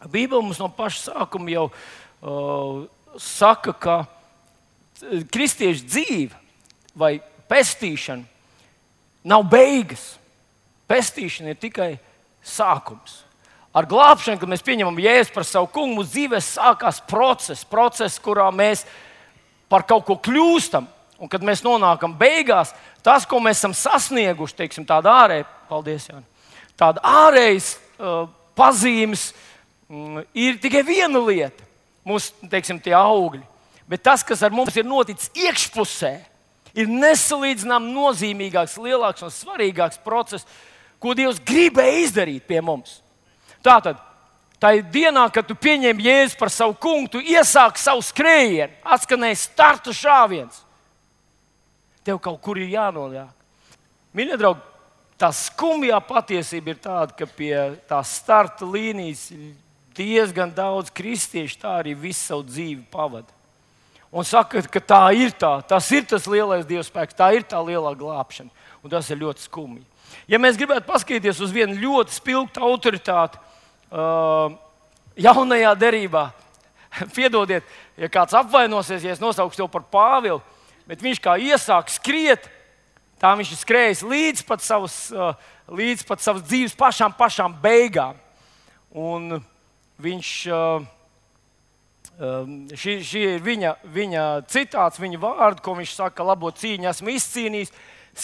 Bībele mums no paša sākuma jau saka, ka kristiešu dzīve vai pestīšana nav beigas. Pestīšana ir tikai sākums. Ar glābšanu, kad mēs pieņemam Jēzu par savu kungu, mūsu dzīvē sākās process, kurā mēs par kaut ko kļūstam. Un kad mēs nonākam beigās, tas, ko mēs esam sasnieguši, teiksim, tāda ārēja, paldies, Jāni, tāda ārējas pazīmes, ir tikai viena lieta, mūsu, teiksim, tie augļi. Bet tas, kas ar mums ir noticis iekšpusē, ir nesalīdzinām nozīmīgāks, lielāks un svarīgāks process, ko Dievs gribēja izdarīt pie mums. Tātad, tā ir dienā, kad tu pieņem Jēzu par savu kungu, tu iesāki savu skrējienu, atskanēja starta šāviens. Tev kaut kur ir jānoliek. Mīļie draugi, tā skumjā patiesība ir tāda, ka pie tās starta līnijas diezgan daudz kristiešu tā arī visu savu dzīvi pavada. Un saka, ka tā ir tā, tas ir tas lielais Dieva spēks, tā ir tā lielā glābšana. Un tas ir ļoti skumji. Ja mēs gribētu paskatīties uz vienu ļoti spilgtu autoritāti jaunajā derībā, piedodiet, ja kāds apvainosies, ja es nosaukšu tev par Pāvilu, bet viņš kā iesāk skriet, tā viņš ir skrējis līdz pat savas dzīves pašām beigām. Un viņš, šī ir viņa citāts, viņa vārdi, ko viņš saka, labo cīņu esmu izcīnījis,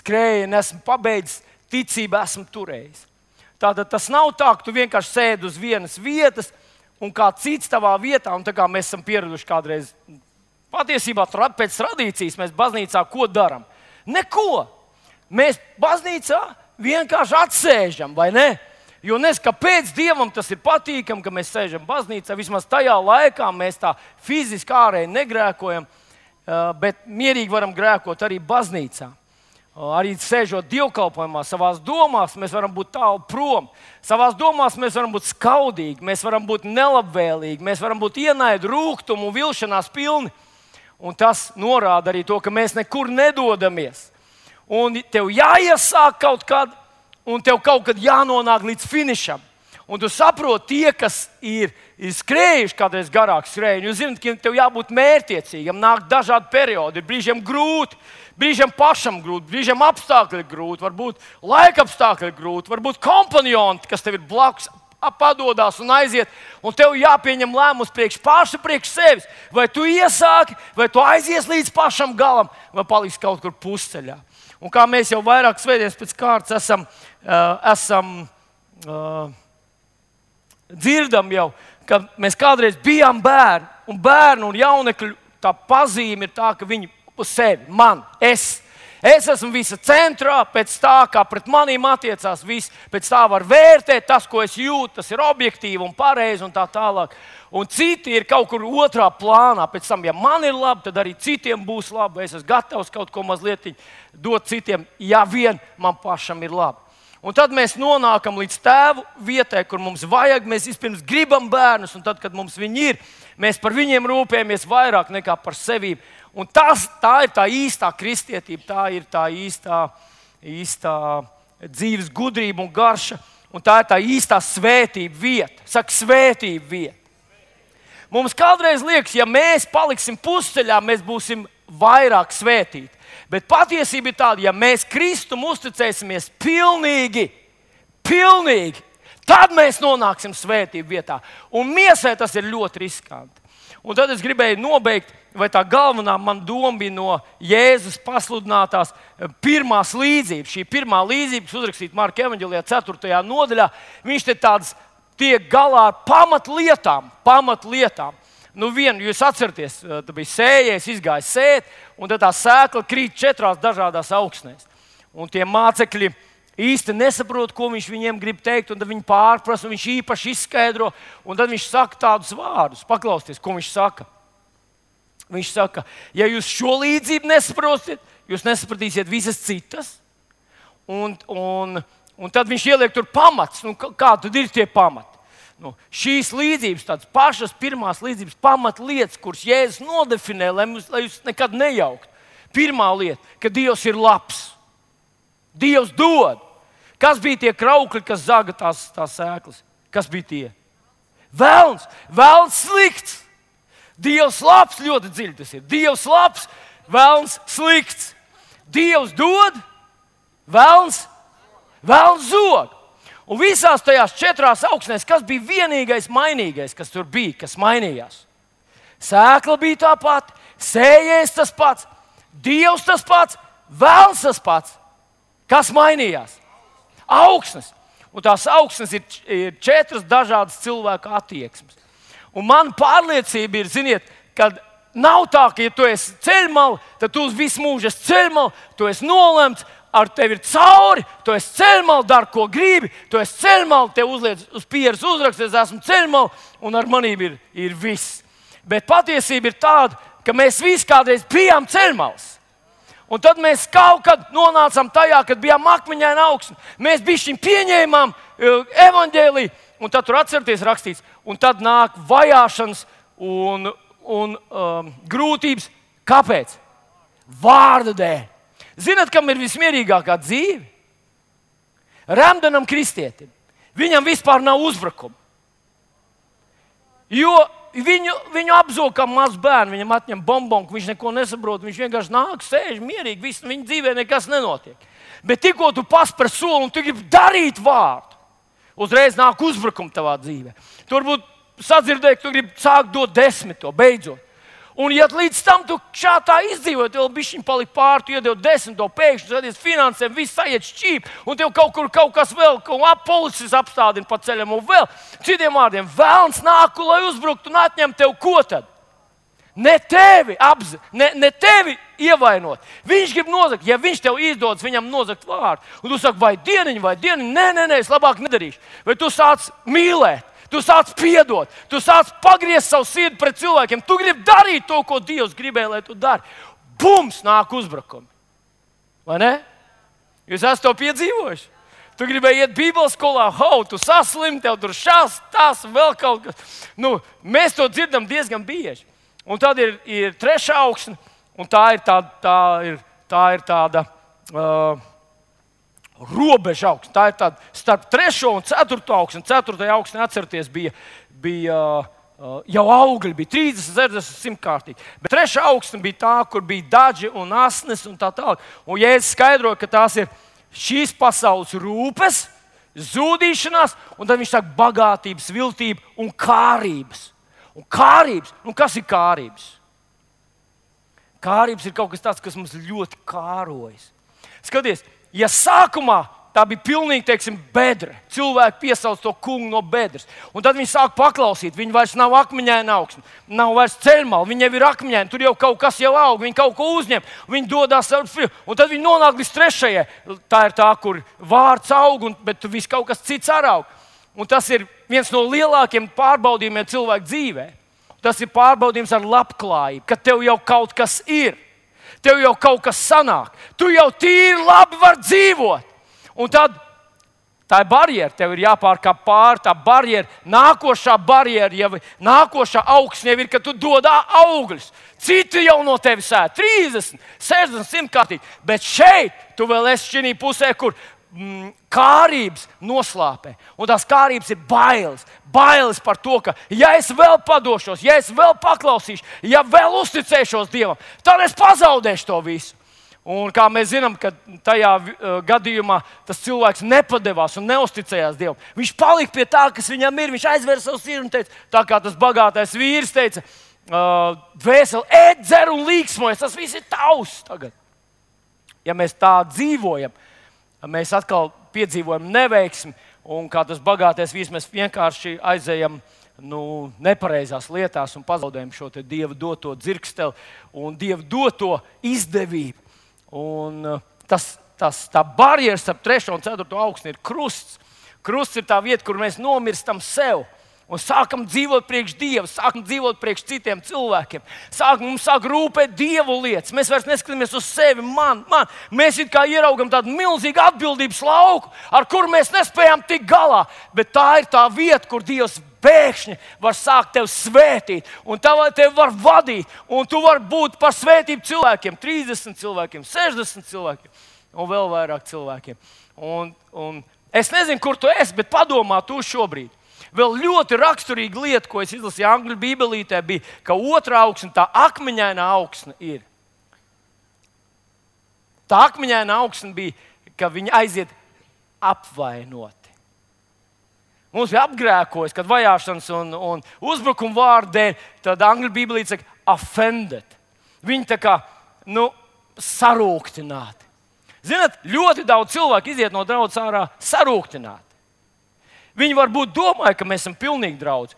skrējienu esmu pabeidzis, ticību esmu turējis. Tātad tas nav tā, ka tu vienkārši sēdi uz vienas vietas un kā cits tavā vietā, un tā kā mēs esam pieraduši kādreiz. Patiesībā pēc tradīcijas mēs baznīcā ko darām? Neko. Mēs baznīcā vienkārši atsēžam, vai ne? Jo kāpēc Dievam tas ir patīkami, ka mēs sēžam baznīcā. Vismaz tajā laikā mēs tā fiziski ārēji negrēkojam, bet mierīgi varam grēkot arī baznīcā. Arī sēžot dievkalpojumā, savās domās mēs varam būt tālu prom. Savās domās mēs varam būt skaudīgi, mēs varam būt nelabvēlīgi, mēs varam būt ienaidu, rūgtumu un vilšanās pilni. Un tas norāda arī to, ka mēs nekur nedodamies. Un tev jāiesāk kaut kad, un tev kaut kad jānonāk līdz finišam. Un tu saproti, tie, kas ir skrējuši kādreiz garāk skrējienu, jūs zināt, ka tev jābūt mērķtiecīgam, nāk dažādi periodi, ir brīžiem grūti, brīžiem pašam grūti, brīžiem apstākļi ir grūti, varbūt laika apstākļi ir grūti, varbūt kompanioni, kas tev ir blakus, padodas un aiziet, un tev jāpieņem lēmums priekš sevis. Vai tu iesāki, vai tu aizies līdz pašam galam, vai paliksi kaut kur pusceļā. Un kā mēs jau vairākas svētdienas pēc kārtas esam dzirdam jau, ka mēs kādreiz bijām bērni, un bērnu un jaunekļu tā pazīme ir tā, ka viņi uz sevi, man, es esmu visa centrā, pēc tā, kā pret manīm attiecās viss, pēc tā var vērtēt tas, ko es jūtu, tas ir objektīvi un pareizi un tā tālāk. Un citi ir kaut kur otrā plānā, pēc tam, ja man ir labi, tad arī citiem būs labi, es esmu gatavs kaut ko mazliet dot citiem, ja vien man pašam ir labi. Un tad mēs nonākam līdz tēvu vietai, kur mums vajag, mēs vispirms gribam bērnus, un tad, kad mums viņi ir, mēs par viņiem rūpējamies vairāk nekā par sevi. Un tā ir tā īstā kristietība, tā ir tā īstā dzīves gudrība un garša, un tā ir tā īstā svētība vieta. Saka, svētība vieta. Mums kādreiz liekas, ja mēs paliksim pusceļā, mēs būsim vairāk svētīti. Bet patiesība ir tāda, ja mēs Kristum uzticēsimies pilnīgi, tad mēs nonāksim svētību vietā. Un miesai tas ir ļoti riskanti. Un tad es gribēju nobeigt, vai tā galvenā man doma bija no Jēzus pasludinātās pirmās līdzības. Šī pirmā līdzība, kas uzrakstīta Marka evaņģēlijā 4. nodaļā, viņš te tiek galā ar pamatlietām. Nu, jūs atceraties, tā bija sējējs, izgāja sēt, un tad tā sēkla krīt 4 dažādās augsnēs. Un tie mācekļi īsti nesaprot, ko viņš viņiem grib teikt, un tad viņi pārprasa, un viņš īpaši izskaidro, un tad viņš saka tādus vārdus. Paklausieties, ko viņš saka. Viņš saka, ja jūs šo līdzību nesaprotiet, jūs nesapratīsiet visas citas, un tad viņš ieliek tur pamats. Nu, kā tad ir tie pamati? Nu, šīs līdzības, tādas pašas pirmās līdzības pamatlietas, kuras Jēzus nodefinē, lai jūs nekad nejauktu. Pirmā lieta, ka Dievs ir labs. Dievs dod. Kas bija tie kraukļi, kas zaga tās sēklas? Kas bija tie? Velns slikts. Dievs labs, ļoti dziļi tas ir. Dievs labs, velns slikts. Dievs dod, velns zog. Un visās tajās 4 augsnēs, kas bija vienīgais mainīgais, kas tur bija, kas mainījās? Sēkla bija tā pati, sējējs tas pats, Dievs tas pats, velns tas pats. Kas mainījās? Augsnes. Un tās augsnes ir 4 dažādas cilvēku attieksmes. Un man pārliecība ir, ziniet, ka nav tā, ka ja tu esi ceļmalā, tad tu visu mūžu esi ceļmalā, tu esi nolemts, ar tevi ir cauri, tu esi ceļmalā, dari, ko gribi, tu esi ceļmalā, tev uzliec uz pieres uzraksts, es esmu ceļmalā, un ar manību ir viss. Bet patiesība ir tāda, ka mēs visi kādreiz bijām ceļmalās. Un tad mēs kaut kad nonācām tajā, kad bijām akmeņaina augsne. Mēs bišķiņ pieņēmām evaņģēliju, un tad tur atcerieties rakstīts, un tad nāk vajāšanas un grūtības. Kāpēc? Vārda dēļ. Zināt, kam ir vismierīgākā dzīve? Remdenam kristietim. Viņam vispār nav uzbrukuma. Jo viņu apzog kā mazs bērns, viņam atņem bombonku, viņš neko nesaprot, viņš vienkārši nāk, sēž mierīgi, viņa dzīvē nekas nenotiek. Bet tikko tu paspēr soli un tu gribi darīt vārdu, uzreiz nāk uzbrukumi tavā dzīvē. Tu varbūt sadzirdēji, ka tu gribi sākt dot 10. beidzot. Un ja līdz tam tu šādā izdzīvoji, tev bišķiņ palika pāri, tu iedevi 10. pēkšņi, skaties finansēm, viss aiziet šķīp, un tev kaut kas vēl, policis apstādina pa ceļam un vēl. Citiem vārdiem, velns nāk, lai uzbruktu un atņem tev ko tad? Ne tevi ne tevi ievainot. Viņš grib nozagt, ja viņš tev izdodas, viņam nozagt vārdu. Un tu saki, vai dieniņ, nē, es labāk nedarīšu. Vai tu sāc mīlēt? Tu sāc piedot, tu sāc pagriezt savu sirdi pret cilvēkiem. Tu gribi darīt to, ko Dievs gribēja, lai tu dari. Bums, nāk uzbrukumi. Vai ne? Jūs esat to piedzīvojuši? Tu gribēji iet Bībeles skolā, tu saslim, tev tur šās, tas, vēl kaut kas. Mēs to dzirdam diezgan bieži. Un tad ir 3. augsne, un tā ir tāda robeža augsne. Tā ir tāda starp 3. un 4. augsni. 4. augsne, atcerieties, bija jau augļi, bija 30, 60, 100 kārtīgi. Bet 3. augsne bija tā, kur bija daži un asnes un tā tālāk. Un Jēzus skaidroja, ka tās ir šīs pasaules rūpes, zudīšanās, un tad viņš saka bagātības, viltība un kārības. Un kārības, kas ir kārības? Kārības ir kaut kas tāds, kas mums ļoti kārojas. Skaties, ja sākumā tā bija pilnīgi, bedra, cilvēki piesauc to kungu no bedres, un tad viņi sāk paklausīt, viņi vairs nav akmeņaina augsne, nav vairs ceļmala, viņi jau ir akmeņaini, tur jau kaut kas jau aug, viņi kaut ko uzņem, viņi dodas ar frilu, un tad viņi nonāk līdz 3. Tā ir tā, kur vārds aug, bet viss kaut kas cits arī aug. Un tas ir viens no lielākiem pārbaudījumiem cilvēku dzīvē. Tas ir pārbaudījums ar labklājību, ka tev jau kaut kas ir. Tev jau kaut kas sanāk. Tu jau tīri labi vari dzīvot. Un tad tā ir barjera. Tev ir jāpārkāp pāri tā barjera. Nākošā barjera, nākošā augsne jau ir, ka tu dod augļus. Citi jau no tevis ēd 30, 60, 100 kārtīgi. Bet šeit tu vēl esi šī pusē, kur kārības noslāpē. Un tās kārības ir bailes. Bailes par to, ka ja es vēl padošos, ja es vēl paklausīšu, ja vēl uzticēšos Dievam, tad es pazaudēšu to visu. Un kā mēs zinām, ka tajā gadījumā tas cilvēks nepadevās un neusticējās Dievam. Viņš palika pie tā, kas viņam ir. Viņš aizvēra savu sirdi un teica, tā kā tas bagātais vīrs teica, dvēseli, ēd, dzer un līksmojas. Tas viss ir tavs tagad. Ja mēs tā dzīvojam, mēs atkal piedzīvojam neveiksmi, un kā tas bagātais vīrs, mēs vienkārši aizejam nepareizās lietās un pazaudējam šo Dieva doto dzirksteli un Dieva doto izdevību. Un tā barjera starp 3. un 4. augsni ir krusts. Krusts ir tā vieta, kur mēs nomirstam sev. Un sākam dzīvot priekš Dieva, sākam dzīvot priekš citiem cilvēkiem. Mums sāk rūpēt Dievu lietas. Mēs vairs neskatāmies uz sevi, man. Mēs it kā ieraugam tādu milzīgu atbildības lauku, ar kuru mēs nespējam tikt galā. Bet tā ir tā vieta, kur Dievs pēkšņi var sākt tevi svētīt. Un tevi var vadīt. Un tu vari būt par svētību cilvēkiem. 30 cilvēkiem, 60 cilvēkiem un vēl vairāk cilvēkiem. Un es nezinu, kur tu esi, bet padomā tu šobrīd. Vēl ļoti raksturīga lieta, ko es izlasīju angļu bībelītē, bija, ka otrā augsne, tā akmeņaina augsne ir. Tā akmeņaina augsne bija, ka viņi aiziet apvainoti. Mums bija apgrēkojis, kad vajāšanas un uzbrukuma vārdu dēļ, tad angļu bībelīte saka offended. Viņi tā kā, sarūktināti. Zināt, ļoti daudz cilvēku iziet no draudzes ārā sarūktināti. Viņi varbūt domāja, ka mēs esam pilnīgi draudzi.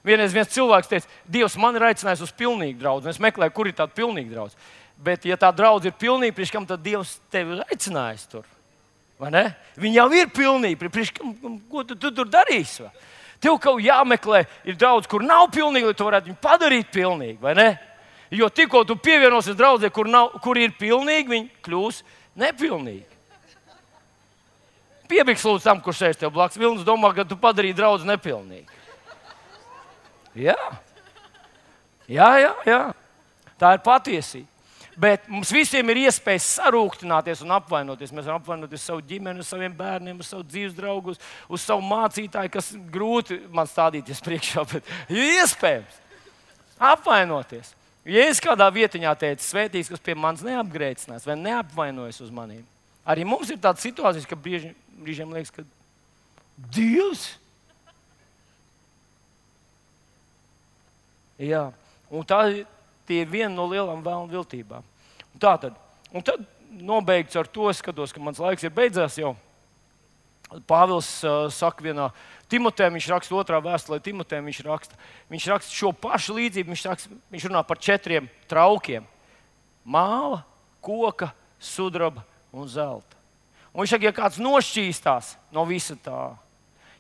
Vienreiz viens cilvēks teica, Dievs man ir aicinājis uz pilnīgu draudzi. Es meklēju, kur ir tāda pilnīga draudze. Bet, ja tā draudze ir pilnīga, priekš kam tad Dievs tevi ir aicinājis tur? Vai ne? Viņi jau ir pilnīgi. Ko tu tur darīsi? Tev kaut jāmeklē, ir draudze, kur nav pilnīga, lai tu varētu viņu padarīt pilnīgi, vai ne? Jo tikko tu pievienosies draudzē, kur ir pilnīgi, viņi kļūs nepilnīgi. Piebiks lūdzu tam, kurš sēž tev blakus. Vilnis domā, ka tu padarīji draudzi nepilnīgi. Jā. Tā ir patiesība. Bet mums visiem ir iespēja sarūktināties un apvainoties. Mēs varam apvainoties savu ģimeni, uz saviem bērniem, uz savu dzīves draugu, uz savu mācītāju, kas grūti man stādīties priekšā, bet ir iespējams apvainoties. Ja es kādā vietiņā teicu, svētīgs, kas pie manis neapgrēcinās vai neapvainojas uz maniem, arī mums ir tādas situācijas, ka brīžiem liekas, ka Dievs. Jā, un tie ir viena no lielām vēlnu viltībām. Un tad nobeigts ar to, skatos, ka mans laiks ir beidzās jau. Pāvils saka vienā Timotejam, viņš raksta 2. vēstulē Timotejam, viņš raksta šo pašu līdzību, viņš runā par 4 traukiem. Māla, koka, sudraba un zelta. Un viņš saka, ja kāds nošķīstās no visa tā,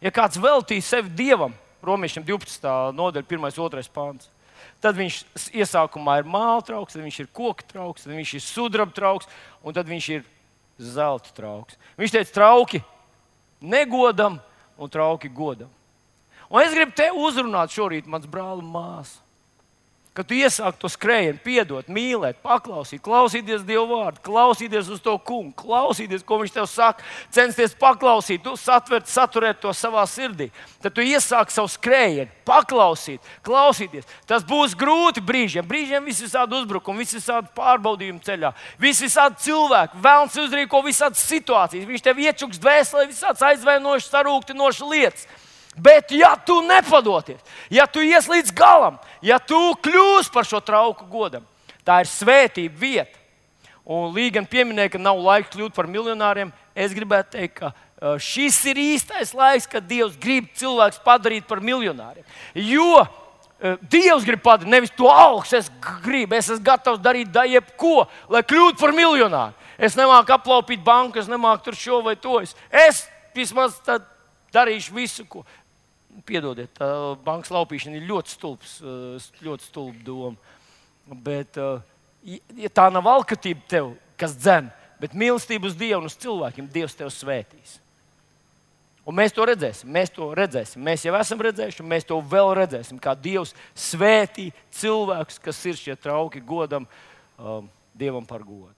ja kāds veltīs sevi Dievam, Romiešiem 12. nodaļa, 1. 2. pāns, tad viņš iesākumā ir māla trauks, tad viņš ir koka trauks, tad viņš ir sudraba trauks, un tad viņš ir zelta trauks. Viņš teica, trauki negodam un trauki godam. Un es gribu tevi uzrunāt šorīt, mans brāl un māsa, ka tu iesāki to skrējienu, piedot, mīlēt, paklausīt, klausīties Dieva vārdu, klausīties uz to kungu, klausīties, ko viņš tev saka, censties paklausīt, saturēt to savā sirdī. Tad tu iesāki savu skrējienu, paklausīt, klausīties. Tas būs grūti brīžiem visādi uzbrukumi, visādi pārbaudījumi ceļā, visādi cilvēki, vēlns uzrīko visādas situācijas, viņš tev iečuks dvēselē visādas aizvainošas, sarūktinošas lietas. Bet, ja tu nepadoties, ja tu ies līdz galam, ja tu kļūsi par šo trauku godam, tā ir svētība vieta. Un Līga pieminēja, ka nav laika kļūt par miljonāriem. Es gribētu teikt, ka šis ir īstais laiks, kad Dievs grib cilvēks padarīt par miljonāriem. Jo Dievs grib padarīt, nevis to augstu es esmu gatavs darīt jebko, lai kļūtu par miljonāru. Es nemāku aplaupīt banku, es nemāku tur šo vai to. Es vismaz darīšu visu, ko. Piedodiet, tā bankas laupīšana ir ļoti stulba doma. Bet ja tā nav alkatība tev, kas dzen, bet mīlestība uz Dievu un uz cilvēkiem, Dievs tev svētīs. Un mēs to redzēsim. Mēs jau esam redzējuši, un mēs to vēl redzēsim, kā Dievs svētī cilvēkus, kas ir šie trauki godam Dievam par godu.